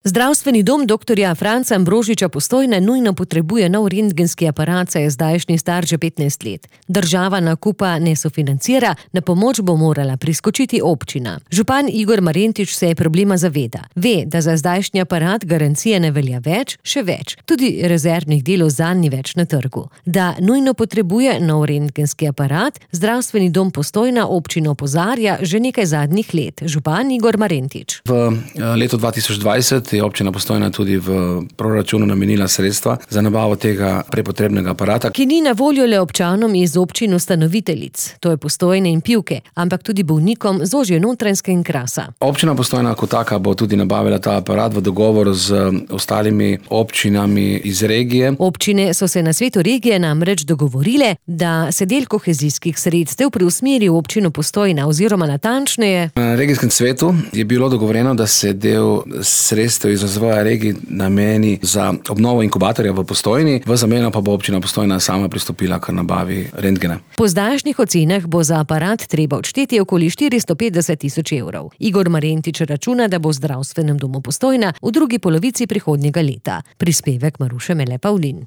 Zdravstveni dom dr. Franca Ambrožiča Postojna nujno potrebuje nov rentgenski aparat, saj je zdajšnji star že 15 let. Država nakupa ne sofinancira, na pomoč bo morala priskočiti občina. Župan Igor Marentič se problema zaveda. Ve, da za zdajšnji aparat garancije ne velja več, še več. Tudi rezervnih delov zanj ni več na trgu. Da nujno potrebuje nov rentgenski aparat, zdravstveni dom Postojna občino opozarja že nekaj zadnjih let. Župan Igor Marentič. V letu 2020 je občina Postojna tudi v proračunu namenila sredstva za nabavo tega prepotrebnega aparata, ki ni na voljo le občanom iz občin ustanoviteljic, to je Postojne in Pivke, ampak tudi bolnikom z ožje Notranjske in Krasa. Občina Postojna kot taka bo tudi nabavila ta aparat v dogovoru z ostalimi občinami iz regije. Občine so se na svetu regije namreč dogovorile, da se del kohezijskih sredstev preusmeri v občino Postojna oziroma natančneje. Na regijskem svetu je bilo dogovorjeno, da se del sredstev iz razvoja regij nameni za obnovo inkubatorja v Postojni, v zameno pa bo občina Postojna sama pristopila k nabavi rentgena. Po zdajšnjih ocenah bo za aparat treba odšteti okoli 450 000 evrov. Igor Marentič računa, da bo v zdravstvenem domu Postojna v drugi polovici prihodnjega leta. Prispevek Maruše Mele Pavlin.